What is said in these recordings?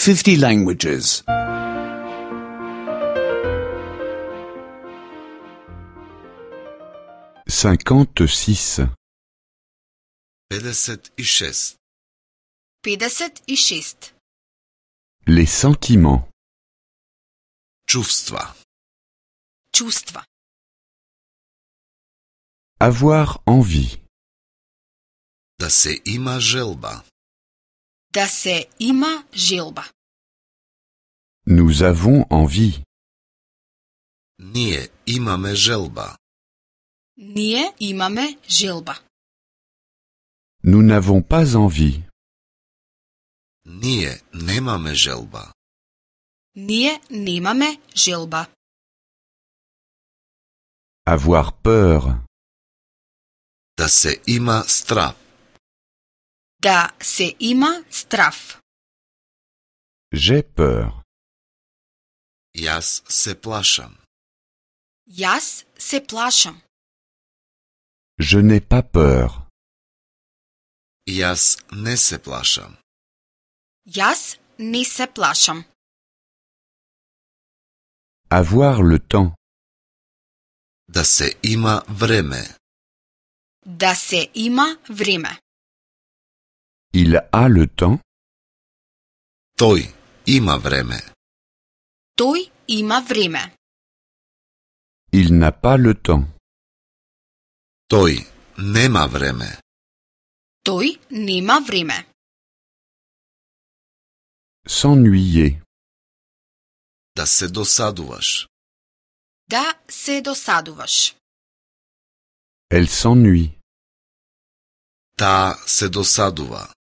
50 languages. 56. 56. 56. Les sentiments. Чувства. Чувства. Avoir envie. Да се има желба. Да се има желба. Nous avons envie. Ние имаме желба. Ние имаме желба. Nous n'avons pas envie. Ние немаме желба. Ние немаме желба. Avoir peur. Да се има страв. Да се има страв. J'ai peur. Јас се плашам. Јас се плашам. Je n'ai pas peur. Јас не се плашам. Јас не се плашам. Avoir le temps. Да се има време. Да се има време. Il a le temps. Тој има време. Тој има време. Il n'a pas le temps. Тој нема време. Тој нема време. S'ennuyer. Да се досадуваш. Да се досадуваш. Elle s'ennuie. Таа се досадува.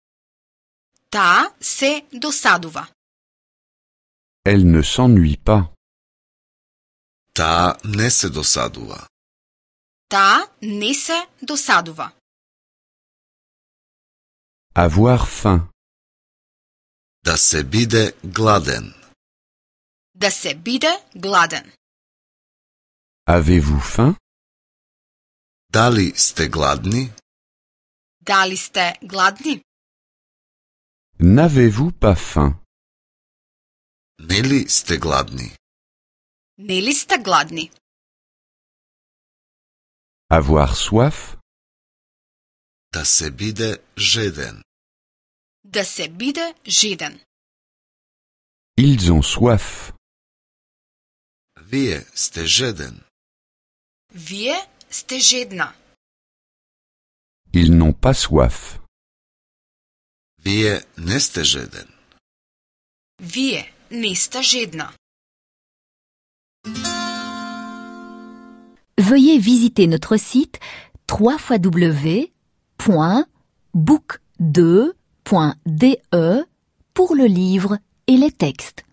Таа се досадува. Elle ne s'ennuie pas. Таа не се досадува. Таа не се досадува. Avoir faim. Да се биде гладен. Да се биде гладен. Avez-vous faim? Дали сте гладни? Дали сте гладни? N'avez-vous pas faim? Нели сте гладни? Нели сте гладни? Avoir soif? Да се биде жеден. Да се биде жеден. Ils ont soif. Вие сте жеден. Вие сте жедна. Ils n'ont pas soif. Вие не сте жеден. Вие не сте жедна. Veuillez visiter notre site www.book2.de pour le livre et les textes.